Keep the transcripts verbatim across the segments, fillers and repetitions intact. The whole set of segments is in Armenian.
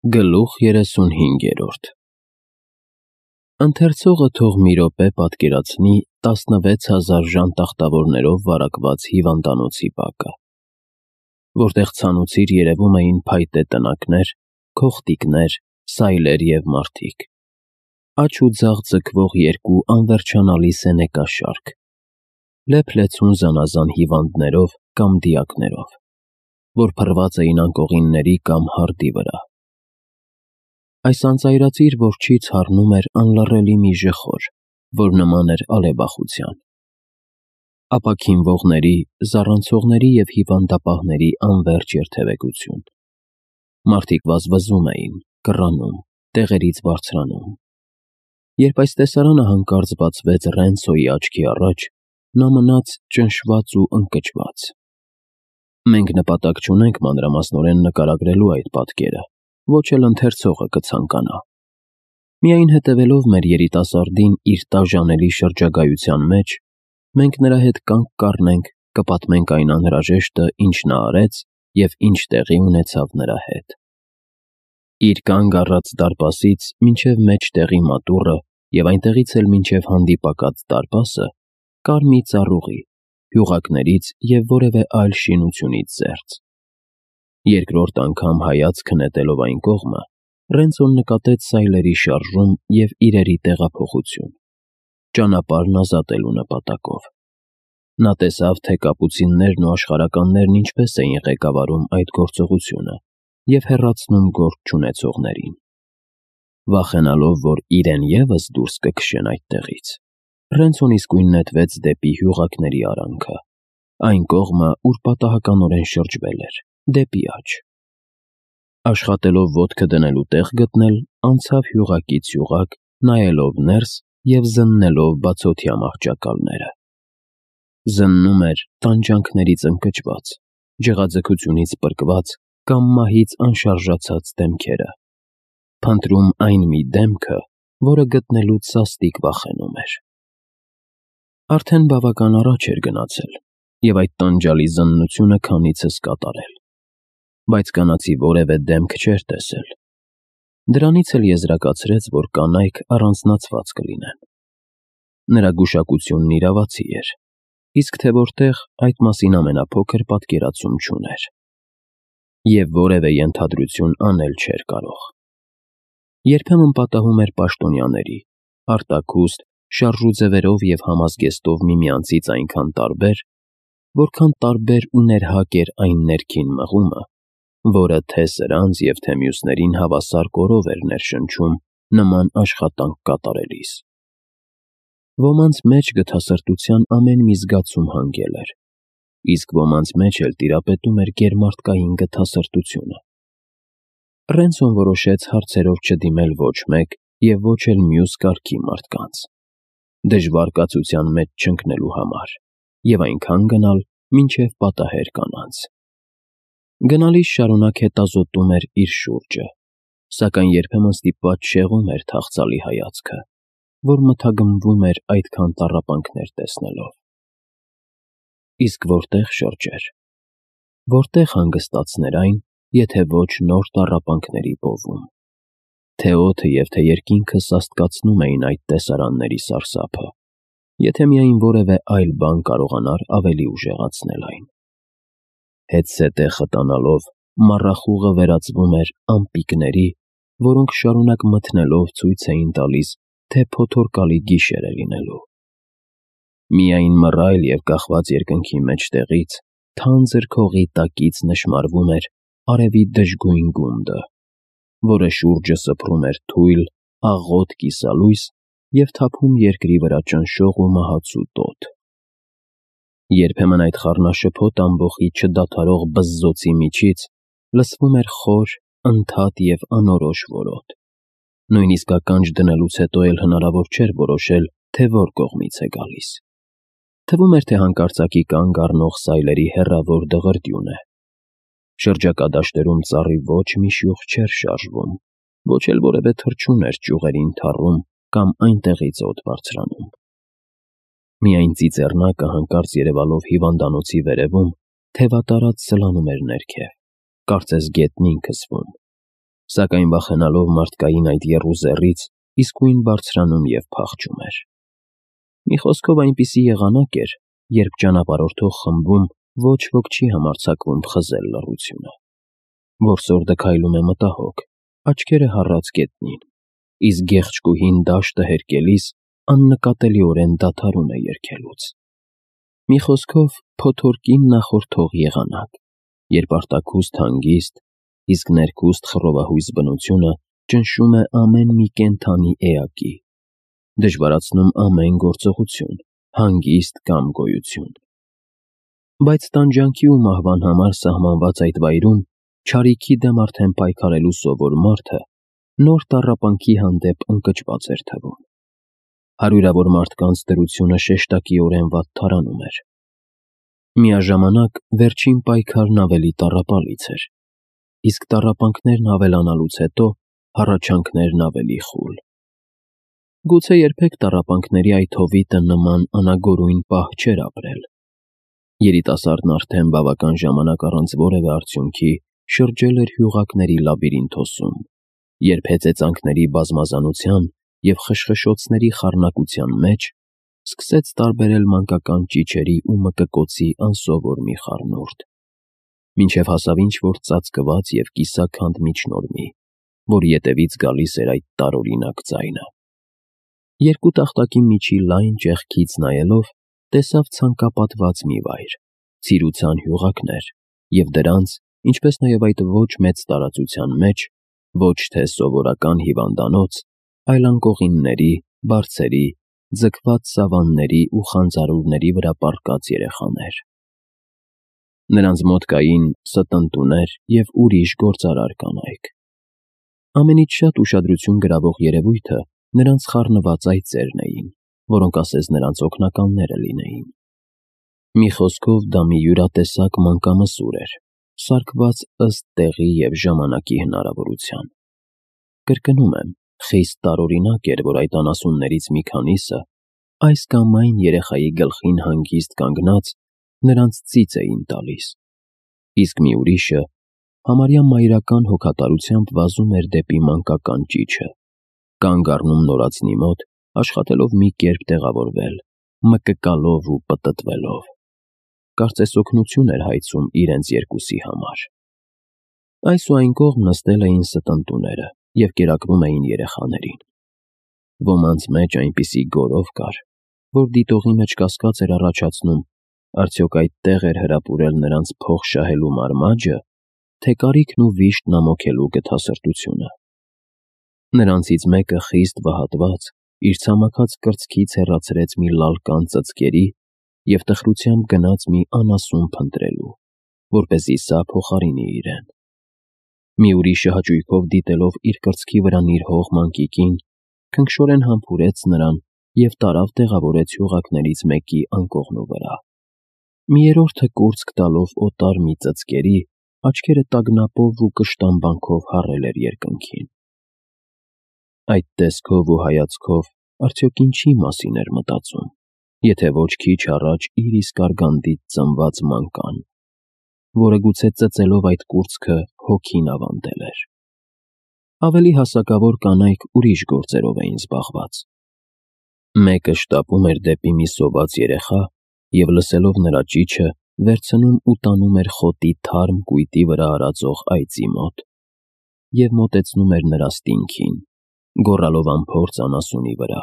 Գլուխ երեսունհինգերորդ Ընթերցողը թող մի րոպե պատկերացնի տասնվեց հազար ժանտախտավորներով վարակված հիվանդանոցի բակը, որտեղ ցանուցիր երևում էին փայտե տնակներ, քողտիկներ, սայլեր և մարդիկ, աջ ու ձախ ձգվող երկու անվերջանալի սենեկաշարք, լեփ-լեցուն զանազան հիվանդներով կամ դիակներով, որ փռված էին անկողինների կամ հարդի վրա։ Այս անծայրածիր որջից հառնում էր անլռելի մի ժխոր, որ նման էր ալեբախության։ Ապաքինվողների, զառանցողների և հիվանդապահների անվերջ երթևեկություն։ Մարդիկ վազվզում էին, կռանում, տեղերից բարձրանում։ Երբ այս տեսարանը հանկարծ բացվեց Ռենցոյի աչքի առաջ, նա մնաց ճնշված ու ընկճված։ Մենք նպատակ չունենք մանրամասնորեն նկարագրելու այդ պատկերը, ոչ էլ ընթերցողը կցանկանա։ Միայն հետևելով մեր երիտասարդին իր տաժանելի շրջագայության մեջ, մենք նրա հետ կանգ կառնենք, կպատմենք այն անհրաժեշտը, ինչ նա արեց և ինչ տեղի ունեցավ նրա հետ։ Իր կանգ առած դարպասից մինչև մեջտեղի մատուռը և այնտեղից էլ մինչև հանդիպակաց դարպասը կար մի ծառուղի, հյուղակներից և որևէ այլ շինությունից զերծ։ Երկրորդ անգամ հայացքը նետելով այն կողմը, Ռենցոն նկատեց սայլերի շարժում և իրերի տեղափոխություն, ճանապարհն ազատելու նպատակով։ Նա տեսավ, թե կապուցիններն ու աշխարհականներն ինչպես էին ղեկավարում այդ գործողությունը և հեռացնում գործ չունեցողներին։ Վախենալով, որ իրեն ևս դուրս կքշեն այդտեղից, Ռենցոն իսկույն նետվեց դեպի հյուղակների արանքը, այն կողմը, ուր պատահականորեն շրջվել էր, դեպի աջ։ Աշխատելով ոտքը դնելու տեղ գտնել, անցավ հյուղակից հյուղակ, նայելով ներս և զննելով բացօթյա մահճակալները։ Զննում էր տանջանքներից ընկճված, ջղաձգությունից պրկված կամ մահից անշարժացած դեմքերը, փնտրում այն մի դեմքը, որը գտնելուց սաստիկ վախենում էր։ Արդեն բավական առաջ էր գնացել և այդ տանջալի զննությունը քանիցս կատարել, բայց կանացի որևէ դեմք չէր տեսել։ Դրանից էլ եզրակացրեց, որ կանայք առանձնացված կլինեն։ Նրա գուշակությունն իրավացի էր, իսկ թե որտեղ, այդ մասին ամենափոքր պատկերացում չուներ։ Եվ որևէ ենթադրություն անել չէր կարող։ Երբեմն պատահում էր պաշտոնյաների, արտաքուստ, շարժուձևերով և համազգեստով միմյանցից այնքան տարբեր, որքան տարբեր ու ներհակ էր այն ներքին մղումը, որը թե սրանց և թե մյուսներին հավասար կորով էր ներշնչում նման աշխատանք կատարելիս։ Ոմանց մեջ գթասրտության ամեն մի զգացում հանգել էր, իսկ ոմանց մեջ էլ տիրապետում էր գերմարդկային գթասրտությունը։ Ռենցոն որոշեց հարցերով չդիմել ոչ մեկ և ոչ էլ մյուս կարգի մարդկանց, դժվար կացության մեջ չընկնելու համար և այնքան գնալ, մինչև պատահեր կանանց։ Գնալիս շարունակ հետազոտում էր իր շուրջը, սակայն երբեմն ստիպված շեղում էր թախծալի հայացքը, որ մթագնվում էր այդքան տառապանքներ տեսնելով։ Իսկ որտե՞ղ շրջեր, որտե՞ղ հանգստացներ այն, եթե ոչ նոր տառապանքների բովում։ Թե օդը և թե երկինքը սաստկացնում էին այդ տեսարանների սարսափը, եթե միայն որևէ այլ բան կարողանար ավելի ուժեղացնել այն։ Հետզհետե խտանալով, մառախուղը վերածվում էր ամպիկների, որոնք շարունակ մթնելով ցույց էին տալիս, թե փոթորկալի գիշեր է լինելու։ Միայն մռայլ և կախված երկնքի մեջտեղից, թանձր քողի տակից նշմարվում էր արևի դժգույն գունդը, որը շուրջը սփռում էր թույլ, աղոտ կիսալույս և թափում երկրի վրա ճնշող ու մահացու տոտ։ Երբեմն այդ խառնաշփոթ ամբոխի չդադարող բզզոցի միջից լսվում էր խոր, ընդհատ և անորոշ որոտ։ Նույնիսկ ականջ դնելուց հետո էլ հնարավոր չէր որոշել, թե որ կողմից է գալիս։ Թվում էր, թե հանկարծակի կանգ առնող սայլերի հեռավոր դղրդյուն է։ Շրջակա դաշտերում ծառի ոչ մի շյուղ չէր շարժվում, ոչ էլ որևէ թռչուն էր ճյուղերին թառում կամ այնտեղից օդ բարձրանում։ Միայն ծիծեռնակը հանկարծ երևալով հիվանդանոցի վերևում, թևատարած սլանում էր ներքև, կարծես գետնին քսվում, Սակայն վախենալով մարդկային այդ եռուզեռից, իսկույն բարձրանում և փախչում էր։ Մի խոսքով այնպիսի եղանակ էր, երբ ճանապարհորդող խմբում ոչ ոք չի համարձակվում խզել լռությունը։ Որսորդը քայլում է մտահոգ, աչքերը հառած գետնին, իսկ գեղեցկուհին դաշտը հերկելիս աննկատելիորեն դադարում է երգելուց։ Մի խոսքով փոթորկին նախորդող եղանակ, երբ արտաքուստ հանգիստ, իսկ ներքուստ խռովահույս բնությունը ճնշում է ամեն մի կենդանի էակի, դժվարացնում ամեն գործողություն, հանգիստ կամ գոյություն։ Բայց տանջանքի ու մահվան համար սահմանված այդ վայրում չարիքի դեմ արդեն պայքարելու սովոր մարդը նոր տառապանքի հանդեպ ընկճված էր թվում։ Հարյուրավոր մարդկանց դրությունը շեշտակիորեն վատթարանում էր։ Միաժամանակ վերջին պայքարն ավելի տառապալից էր, իսկ տառապանքներն ավելանալուց հետո հառաչանքներն ավելի խուլ։ Գուցե երբեք տառապանքների այդ հովիտը նման անագորույն պահ չէր ապրել։ Երիտասարդն արդեն բավական ժամանակ առանց որևէ արդյունքի շրջել էր հյուղակների լաբիրինթոսում, երբ հեծեծանքների բազմազանության և խշխշոցների խառնակության մեջ սկսեց տարբերել մանկական ճիչերի ու մկկոցի անսովոր մի խառնուրդ, մինչև հասավ ինչ-որ ծածկված և կիսաքանդ միջնորմի, որի ետևից գալիս էր այդ տարօրինակ ձայնը։ Երկու տախտակի միջի լայն ճեղքից նայելով, տեսավ ցանկապատված մի վայր, ցիրուցան հյուղակներ, և դրանց, ինչպես նաև այդ ոչ մեծ տարածության մեջ, ոչ թե սովորական հիվանդանոց, այլ անկողինների, բարձերի, ձգված սավանների ու խանձարուրների վրա պառկած երեխաներ։ Նրանց մոտ կային ստընտուներ և ուրիշ գործարար կանայք։ Ամենից շատ ուշադրություն գրավող երևույթը նրանց խառնված այծերն էին, որոնք ասես նրանց օգնականները լինեին։ Մի խոսքով դա մի յուրատեսակ մանկամսուր էր, սարքված ըստ տեղի և ժամանակի հնարավորության։ Կրկնում եմ, խիստ տարօրինակ էր, որ այդ անասուններից մի քանիսը, այս կամ այն երեխայի գլխին հանգիստ կանգնած, նրանց ծիծ էին տալիս, իսկ մի ուրիշը համարյա մայրական հոգատարությամբ վազում էր դեպի մանկական ճիչը, կանգ առնում նորածնի մոտ, աշխատելով մի կերպ տեղավորվել, մկկալով ու պտտվելով։ Կարծես օգնություն էր հայցում իրենց երկուսի համար։ Այս ու այն կողմ նստել էին ստընտուները և կերակրում էին երեխաներին։ Ոմանց մեջ այնպիսի գորով կար, որ դիտողի մեջ կասկած էր առաջացնում, արդյոք այդտեղ էր հրապուրել նրանց փող շահելու մարմաջը, թե կարիքն ու վիշտն ամոքելու գթասրտությունը։ Նրանցից մեկը խիստ վհատված, իր ցամաքած կրծքից հեռացրեց մի լալկան ծծկերի և տխրությամբ գնաց մի անասուն փնտրելու, որպեսզի սա փոխարինի իրեն։ Մի ուրիշը հաճույքով դիտելով իր կրծքի վրա նիրհող մանկիկին, քնքշորեն համբուրեց նրան և տարավ տեղավորեց հյուղակներից մեկի անկողնու վրա։ Մի երրորդը կուրծք տալով օտար մի ծծկերի, աչքերը տագնապով ու կշտամբանքով հառել էր երկնքին։ Այդ տեսքով ու հայացքով արդյոք ինչի մասին էր մտածում, եթե ոչ քիչ առաջ իր իսկ արգանդից ծնված մանկան, որը գուցե ծծելով այդ կուրծքը հոգին ավանդել էր։ Ավելի հասակավոր կանայք ուրիշ գործերով էին զբաղված։ Մեկը շտապում էր դեպի մի սոված երեխա և լսելով նրա ճիչը, վերցնում ու տանում էր խոտի թարմ կույտի վրա արածող այծի մոտ և մոտեցնում էր նրա ստինքին, գոռալով անփորձ անասունի վրա,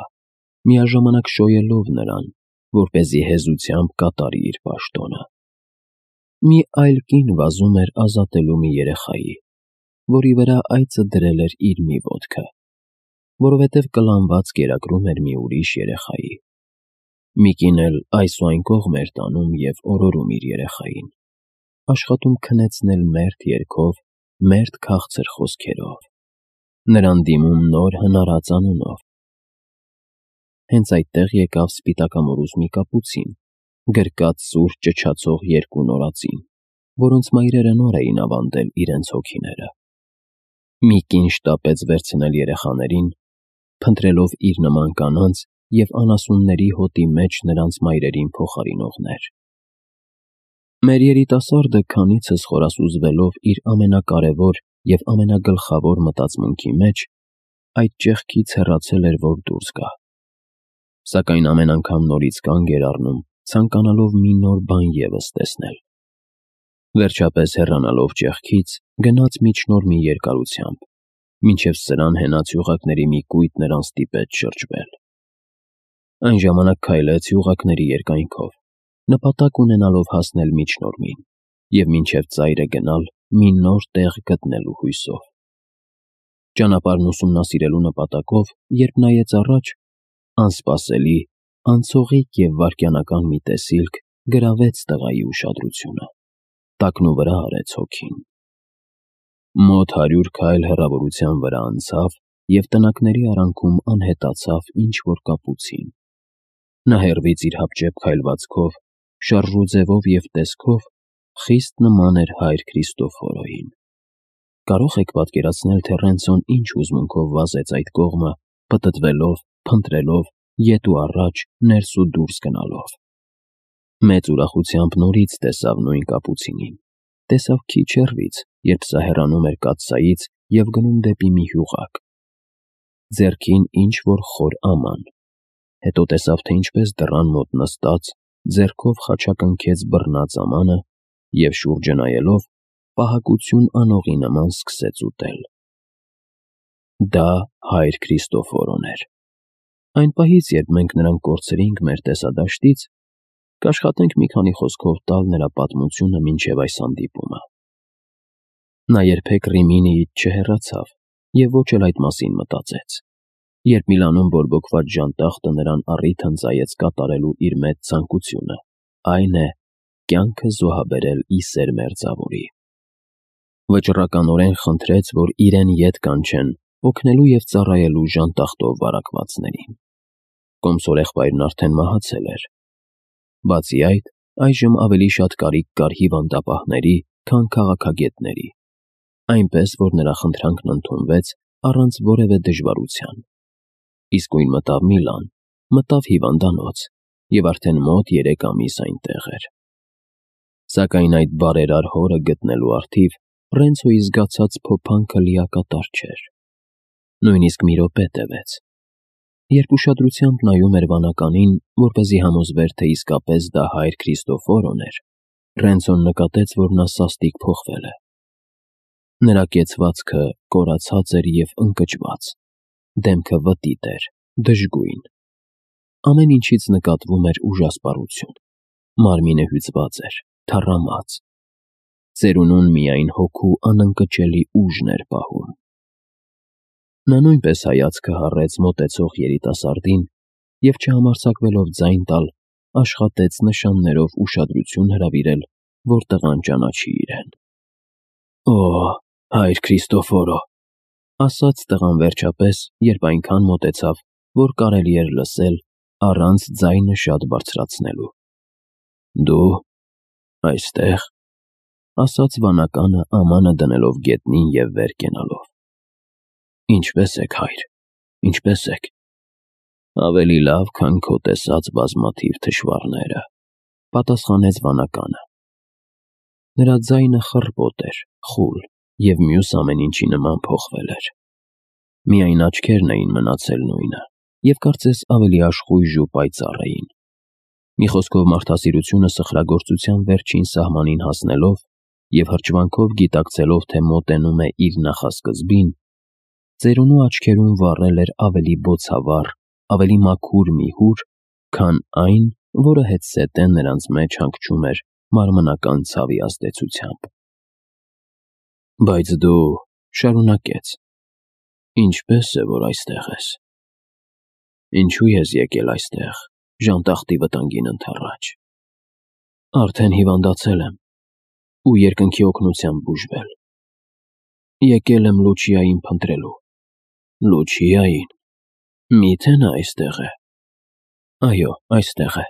միաժամանակ շոյելով նրան, որպեսզի հեզությամբ կատարի իր պաշտոնը։ Մի այլ կին վազում էր ազատելու մի երեխայի, որի վրա այծը դրել էր իր մի ոտքը, որովհետև կլանված կերակրում էր մի ուրիշ երեխայի։ Մի կին էլ այս ու այն կողմ էր տանում և օրորում իր երեխային, աշխատում քնեցնել մերթ երգով, մերթ քաղցր խոսքերով, նրան դիմում նոր հնարած անունով։ Հենց այդտեղ եկավ սպիտակամորուզ մի կապուցին, գրկած սուր ճչացող երկու նորածին, որոնց մայրերը նոր էին ավանդել իրենց հոգիները։ Մի կին շտապեց վերցնել երեխաներին, փնտրելով իր նման կանանց և անասունների հոտի մեջ նրանց մայրերին փոխարինողներ։ Մեր երիտասարդը քանիցս խորասուզվելով իր ամենակարևոր և ամենագլխավոր մտածմունքի մեջ այդ ճեղքից հեռացել էր, որ դուրս գա։ Սակայն ամեն անգամ նորից կանգ էր առնում, ցանկանալով մի նոր բան ևս տեսնել։ Վերջապես հեռանալով ճեղքից, գնաց միջնորմի երկարությամբ, մինչև սրան հենած յուղակների մի կույտ նրան ստիպեց շրջվել։ Այն ժամանակ քայլեց յուղակների երկայնքով, նպատակ ունենալով հասնել միջնորմին և մինչև ծայրը գնալ մի նոր տեղ գտնելու հույսով։ Ճանապարհն ուսումնասիրելու նպատակով, երբ նայեց առաջ, անսպասելի, անցողիկ և վայրկենական մի տեսիլք գրավեց տղայի ուշադրությունը, տակնուվրա արեց հոգին։ Մոտ հարյուր քայլ հեռավորության վրա անցավ և տնակների արանքում անհետացավ ինչ-որ կապուցին։ Նա հեռվից իր հապճեպ քայլվածքով, շարժու ձևով և տեսքով խիստ նման էր հայր Քրիստոֆորոյին։ Կարո՞ղ եք պատկերացնել, թե Ռենցոն ինչ հուզմունքով վազեց այդ կողմը, պտտվելով, փնտրելով, ետ ու առաջ, ներս ու դուրս գնալով։ Մեծ ուրախությամբ նորից տեսավ նույն կապուցինին, տեսավ քիչ հեռվից, երբ սա հեռանում էր կաթսայից և գնում դեպի մի հյուղակ։ Ձեռքին ինչ-որ խոր աման, հետո տեսավ, թե ինչպես դռան մոտ նստած, ձեռքով խաչակնքեց բռնած ամանը և շուրջը նայելով, պահակություն անողի նման սկսեց ուտել։ Դա հայր Քրիստոֆորոն էր։ Այն պահից, երբ մենք նրան կորցրինք մեր տեսադաշտից, կաշխատենք մի քանի խոսքով տալ նրա պատմությունը մինչև այս հանդիպումը։ Նա երբեք Ռիմինիից չհեռացավ և ոչ էլ այդ մասին մտածեց։ Երբ Միլանում բորբոքված ժանտախտը նրան առիթ հնձայեց կատարելու իր մեծ ցանկությունը, այն է, կյանքը զոհաբերել ի սեր մերձավորի։ Վճռականորեն խնդրեց, որ իրեն ետ կանչեն օգնելու և ծառայելու ժանտախտով վարակվածներին։ Կոմսորեղբայրն արդեն մահացել էր։ Բացի այդ, այժմ ավելի շատ կարիք կար հիվանդապահների, քան քաղաքագետների, այնպես որ նրա խնդրանքն ընդունվեց առանց որևէ դժվարության։ Իսկույն մտավ Միլան, մտավ հիվանդանոց և արդեն մոտ երեք ամիս այնտեղ էր։ Սակայն այդ բարերար հորը գտնելու առթիվ Ռենցոյի զգացած փոփանքը լիակատար չէր։ Նույնիսկ մի րոպե տևեց։ Երբ ուշադրությամբ նայում էր վանականին, որպեսզի համոզվեր, թե իսկապես դա հայր Քրիստոֆորոն էր, Ռենցոն նկատեց, որ նա սաստիկ փոխվել է։ Նրա կեցվածքը կորացած էր և ընկճված, դեմքը վտիտ էր, դժգույն։ Ամեն ինչից նկատվում էր ուժասպառություն, մարմինը հյուծված էր, թառամած։ Ծերունուն միայն հոգու անընկճելի ուժն էր պահում։ Նա նույնպես հայացքը հառեց մոտեցող երիտասարդին և, չհամարձակվելով ձայն տալ, աշխատեց նշաններով ուշադրություն հրավիրել, որ տղան ճանաչի իրեն։ «Օ, հայր Քրիստոֆորո», ասաց տղան վերջապես, երբ այնքան մոտեցավ, որ կարելի էր լսել, առանց ձայնը շատ բարձրացնելու։ «Դու այստեղ», ասաց վանականը ամանը դնելով գետնին և վեր կենալով։ «Ինչպե՞ս եք, հայր, ինչպե՞ս եք»։ «Ավելի լավ, քան քո տեսած բազմաթիվ թշվառները», պատասխանեց վանականը։ Նրա ձայնը խռպոտ էր, խուլ և մյուս ամեն ինչի նման փոխվել էր։ Միայն աչքերն էին մնացել նույնը և կարծես ավելի աշխույժ ու պայծառ էին։ Մի խոսքով, մարդասիրությունը սխրագործության վերջին սահմանին հասնելով և հրճվանքով գիտակցելով, թե մոտենում է իր նախասկզբին, ծերունու աչքերում վառել էր ավելի բոցավառ, ավելի մաքուր մի հուր, քան այն, որը հետզհետե նրանց մեջ հանգչում էր մարմնական ցավի ազդեցությամբ։ «Բայց դու,» շարունակեց, «ինչպե՞ս է, որ այստեղ ես։ Ինչու ես եկել այստեղ, ժանտախտի վտանգին ընդառաջ։ Արդեն հիվանդացել եմ ու երկնքի օգնությամբ բուժվել։ Եկել եմ Լուչիային փնտրելու»։ «Լուչիայի՞ն, մի՞թե նա այստեղ է»։ «Այո, այստեղ է։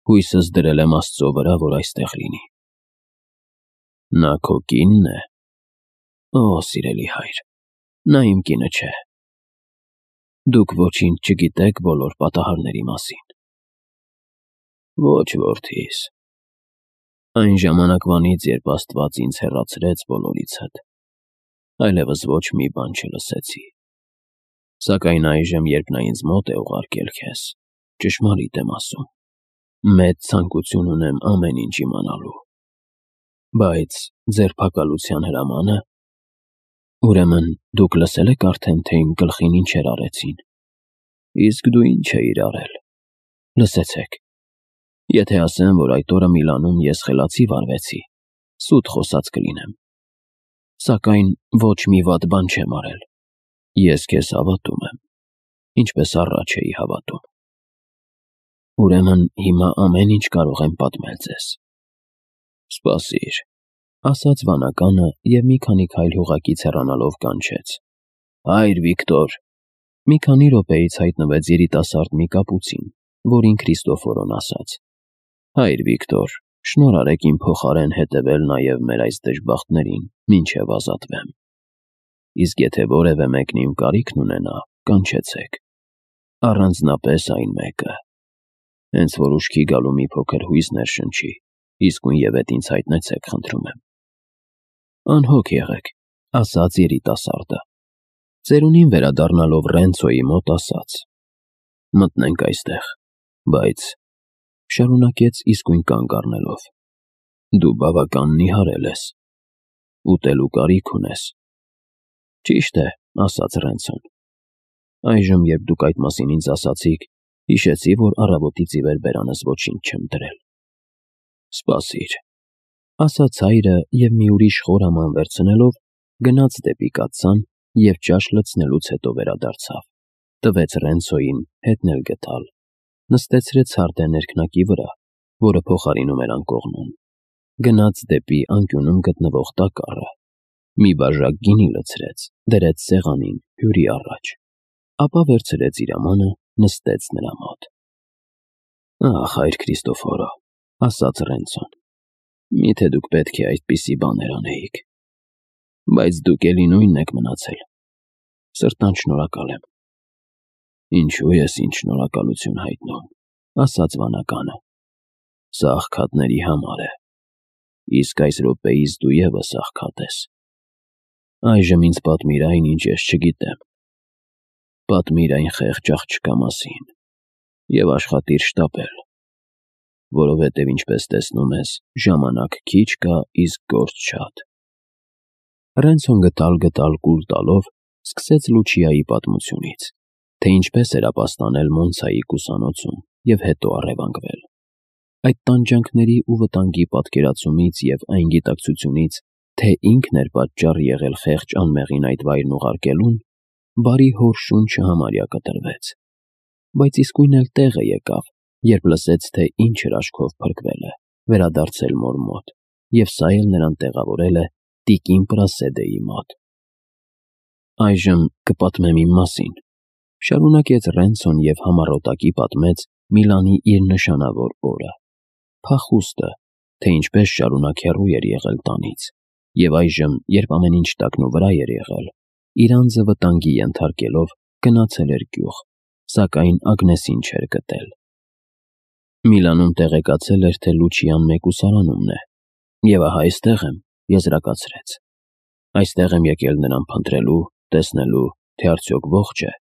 Հույսս դրել եմ Աստծո վրա, որ այստեղ լինի»։ «Նա քո կի՞նն է»։ «Օ, սիրելի հայր, նա իմ կինը չէ»։ «Դուք ոչինչ չգիտեք բոլոր պատահարների մասին»։ «Ոչ, որդիս։ Այն ժամանակվանից, երբ Աստված ինձ հեռացրեց բոլորիցդ, այլևս ոչ մի բան չլսեցի։ Սակայն այժմ, երբ նա ինձ մոտ է ուղարկել քեզ, ճշմարիտ եմ ասում, մեծ ցանկություն ունեմ ամեն ինչ իմանալու։ Բայց ձերբակալության հրամանը… Ուրեմն դուք լսել եք արդեն, թե իմ գլխին ինչեր արեցին։ Իսկ դու ինչ էիր արել։ Լսեցեք, եթե ասեմ, որ այդ օրը Միլանում ես խելացի վարվեցի, սուտ խոսած կլինեմ։ Սակայն ոչ մի վատ բան չեմ արել։ Ես քեզ հավատում եմ, ինչպես առաջ էի հավատում։ Ուրեմն հիմա ամեն ինչ կարող եմ պատմել ձեզ։ Սպասիր, ասաց վանականը և մի քանի քայլ հուղակից հեռանալով կանչեց. Հայր Վիկտոր։ Մի քանի րոպեից հայտնվեց երիտասարդ մի կապուցին, որին Քրիստոֆորոն ասաց. Հայր Վիկտոր, շնորհ արեք իմ փոխարեն հետևել նաև մեր այս դժբախտներին, մինչև ազատվեմ։ Իսկ եթե որևէ մեկն իմ կարիքն ունենա, կանչեցեք։ Առանձնապես այն մեկը։ Հենց որ ուշքի գալու մի փոքր հույս ներշնչի, իսկույնևեթ ինձ հայտնեցեք, խնդրում եմ։ Անհոգ եղեք, ասաց երիտասարդը։ Ծերունին վերադառնալով Ռենցոյի մոտ ասաց. Մտնենք այստեղ, բայց… Շարունակեց իսկույն կանգ առնելով. Դու բավական նիհարել ես, ուտելու կարիք ունես։ Ճիշտ է, ասաց Ռենցոն։ Այժմ, երբ դուք այդ մասին ինձ ասացիք, հիշեցի, որ առավոտից ի վեր բերանս ոչինչ չեմ դրել։ Սպասիր, ասաց հայրը և մի ուրիշ խորաման վերցնելով, գնաց դեպի կաթսան և ճաշ լցնելուց հետո վերադարձավ, տվեց Ռենցոյին հետն էլ գտալ, նստեցրեց հարտե ներքնակի վրա, որը փոխարինում էր անկողնում, գնաց դեպի անկյունում գտնվող տակառը, մի բաժակ գինի լցրեց, դրեց սեղանին հյուրի առաջ, ապա վերցրեց իր ամանը, նստեց նրա մոտ։ Ախ, հայր Քրիստոֆորո, ասաց Ռենցոն, միթե դուք պետք է այդպիսի բաներ անեիք, բայց դուք էլի նույնն եք մնացել։ Սրտան շնորհակալ եմ։ Ինչու ես ինձ շնորհակալություն հայտնում, ասաց վանականը։ Սա աղքատների համար է, իսկ այս րոպեիս դու ևս աղքատ ես։ Այժմ ինձ պատմիր այն, ինչ ես չգիտեմ։ Պատմիր այն խեղճ աղջկա մասին և աշխատիր շտապել, որովհետև, ինչպես տեսնում ես, ժամանակ քիչ կա, իսկ գործ շատ։ Ռենցոն գտալ-գտալ կուլ տալով սկսեց Լուչիայի պատմությունից, թե ինչպես էր ապաստանել Մոնցայի կուսանոցում և հետո առևանգվել։ Այդ տանջանքների ու վտանգի պատկերացումից և այն գիտակցությունից, թե ինքն էր պատճառ եղել խեղճ անմեղին այդ վայրն ուղարկելուն, բարի հոր շունչը համարյա կտրվեց, բայց իսկույն էլ տեղը եկավ, երբ լսեց, թե ինչ հրաշքով փրկվել է, վերադարձել մոր մոտ, և սա էլ նրան տեղավորել է տիկին Պրասեդեի մոտ։ Այժմ կպատմեմ իմ մասին, շարունակեց Ռենցոն և համառոտակի պատմեց Միլանի իր նշանավոր օրը, փախուստը, թե ինչպես շարունակ հեռու էր եղել տանից, և այժմ, երբ ամեն ինչ տակնուվրա էր եղել, իր անձը վտանգի ենթարկելով, գնացել էր գյուղ, սակայն Ագնեսին չէր գտել։ Միլանում տեղեկացել էր, թե Լուչիան մեկուսարանումն է, և ահա այստեղ եմ, եզրակացրեց։ Այստեղ եմ եկել նրան փնտրելու, տեսնելու, թե արդյոք ողջ է,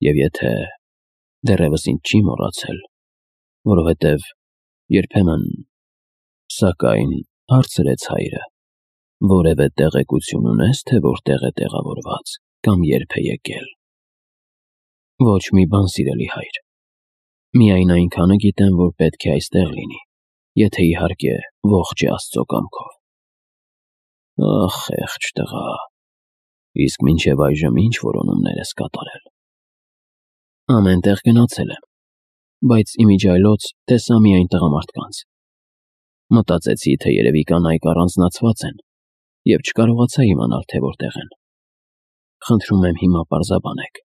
և եթե… դեռևս ինձ չի մոռացել, որովհետև երբեմն… Սակայն, հարցրեց հայրը, որևէ տեղեկություն ունես, թե որտեղ է տեղավորված կամ երբ է եկել։ Ոչ մի բան, սիրելի հայր, միայն այնքանը գիտեմ, որ պետք է այստեղ լինի, եթե իհարկե ողջ է Աստծո կամքով։ Ախ, խեղճ տղա, իսկ մինչև այժմ ինչ որոնումներ ես կատարել։ Ամեն տեղ գնացել եմ, բայց իմիջիայլոց տեսա միայն տղամարդկանց։ Մտածեցի, թե երևի կանայք առանձնացված են, և չկարողացա իմանալ, թե որտեղ են։ Խնդրում եմ հիմա պարզաբանեք։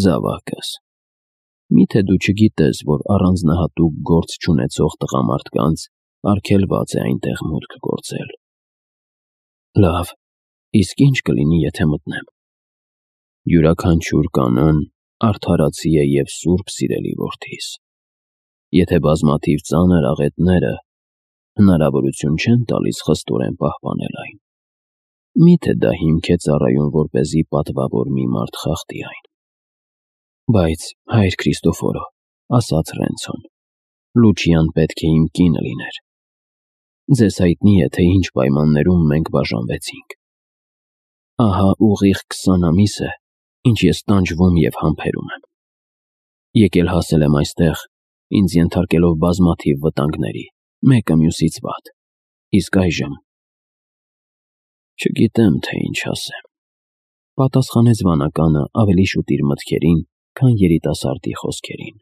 Զավակս, միթե դու չգիտես, որ առանձնահատուկ գործ չունեցող տղամարդկանց արգելված է այնտեղ մուտք գործել։ Լավ, իսկ ի՞նչ կլինի, եթե մտնեմ։ Յուրաքանչյուր կանոն արդարացի է և սուրբ, սիրելի որդիս։ Եթե բազմաթիվ ծանր աղետները հնարավորություն չեն տալիս խստորեն պահպանել այն, Մի՞թե դա հիմք է ծառայում, որպեսզի պատվավոր մի մարդ խախտի այն։ Բայց, հայր Քրիստոֆորո, ասաց Ռենցոն, Լուչիան պետք է իմ կինը լիներ։ Ձեզ հայտնի է, թե ինչ պայմաններում մենք բաժանվեցինք։ Ահա ուղիղ քսան ամիս է, ինչ ես տանջվում և համբերում եմ։ Եկել հասել եմ այստեղ, ինձ ենթարկելով բազմաթիվ վտանգների, մեկը մյուսից վատ, իսկ այժմ… Չգիտեմ, թե ինչ ասեմ, պատասխանեց վանականը ավելի շուտ իր մտքերին, քան երիտասարդի խոսքերին։